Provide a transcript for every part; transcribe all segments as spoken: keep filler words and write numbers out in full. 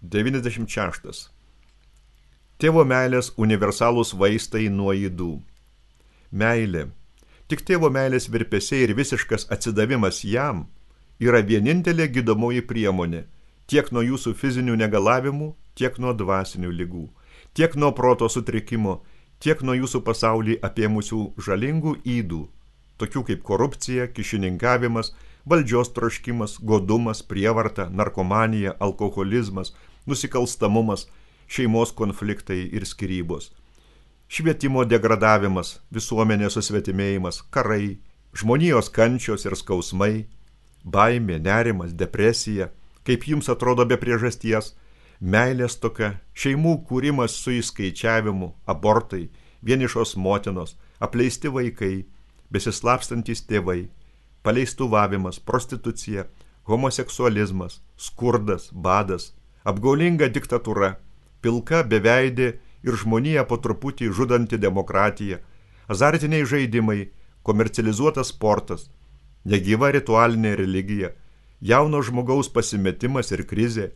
devyniasdešimt šeštas. Tėvo meilės universalūs vaistai nuo ydų. Meilė. Tik tėvo meilės virpesiai ir visiškas atsidavimas jam yra vienintelė gydomoji priemonė tiek nuo jūsų fizinių negalavimų, tiek nuo dvasinių ligų, tiek nuo proto sutrikimo, tiek nuo jūsų pasaulį apėmusių žalingų ydų, tokių kaip korupcija, kišininkavimas, valdžios troškimas, godumas, prievarta, narkomanija, alkoholizmas, nusikalstamumas, šeimos konfliktai ir skyrybos, švietimo degradavimas, visuomenės susvetimėjimas, karai, žmonijos kančios ir skausmai, baimė, nerimas, depresija, kaip jums atrodo be priežasties, meilės toka, šeimų kūrimas su įskaičiavimu, abortai, vienišos motinos, apleisti vaikai, besislapstantys tėvai, paleistuvavimas, prostitucija, homoseksualizmas, skurdas, badas, apgaulinga diktatūra, pilka beveidė ir žmonija po truputį žudanti demokratija, azartiniai žaidimai, komercializuotas sportas, negyva ritualinė religija, jauno žmogaus pasimetimas ir krizė,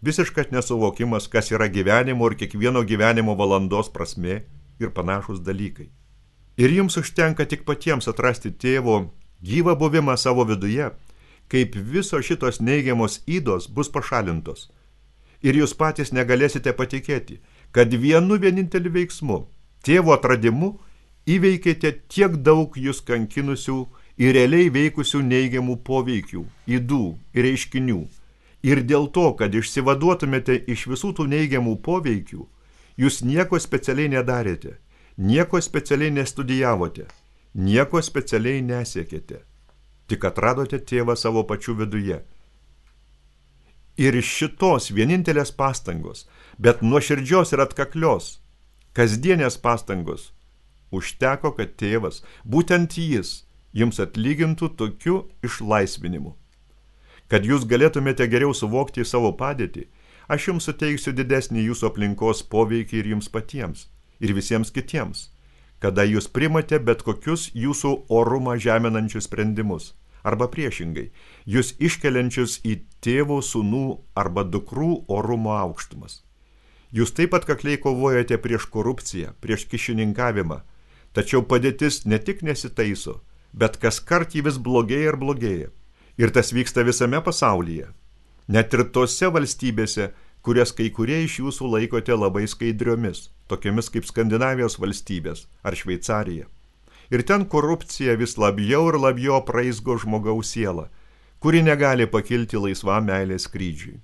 visiškas nesuvokimas, kas yra gyvenimo ir kiekvieno gyvenimo valandos prasmė ir panašus dalykai. Ir jums užtenka tik patiems atrasti tėvo gyvą buvimą savo viduje, kaip viso šitos neigiamos ydos bus pašalintos. Ir jūs patys negalėsite patikėti, kad vienu vieninteliu veiksmu, tėvo atradimu, įveikėte tiek daug jūs kankinusių ir realiai veikusių neigiamų poveikių, ydų ir reiškinių. Ir dėl to, kad išsivaduotumėte iš visų tų neigiamų poveikių, jūs nieko specialiai nedarėte, nieko specialiai nestudijavote, nieko specialiai nesiekėte, tik atradote tėvą savo pačių viduje. Ir šitos vienintelės pastangos, bet nuoširdžios ir atkaklios, kasdienės pastangos, užteko, kad tėvas, būtent jis, jums atlygintų tokiu išlaisvinimu. Kad jūs galėtumėte geriau suvokti savo padėtį, aš jums suteiksiu didesnį jūsų aplinkos poveikį ir jums patiems, ir visiems kitiems, kada jūs primate bet kokius jūsų orumą žeminančius sprendimus, arba priešingai, jūs iškeliančius į tėvų, sūnų arba dukrų orumo aukštumas. Jūs taip pat kakliai kovojate prieš korupciją, prieš kišininkavimą, tačiau padėtis ne tik nesitaiso, bet kas kart jį vis blogėja ir blogėja. Ir tas vyksta visame pasaulyje. Net ir tose valstybėse, kurias kai kurie iš jūsų laikote labai skaidriomis, tokiamis kaip Skandinavijos valstybės ar Šveicarija. Ir ten korupcija vis labiau ir labiau apraizgo žmogaus sielą, kuri negali pakilti laisvam meilės skrydžiui.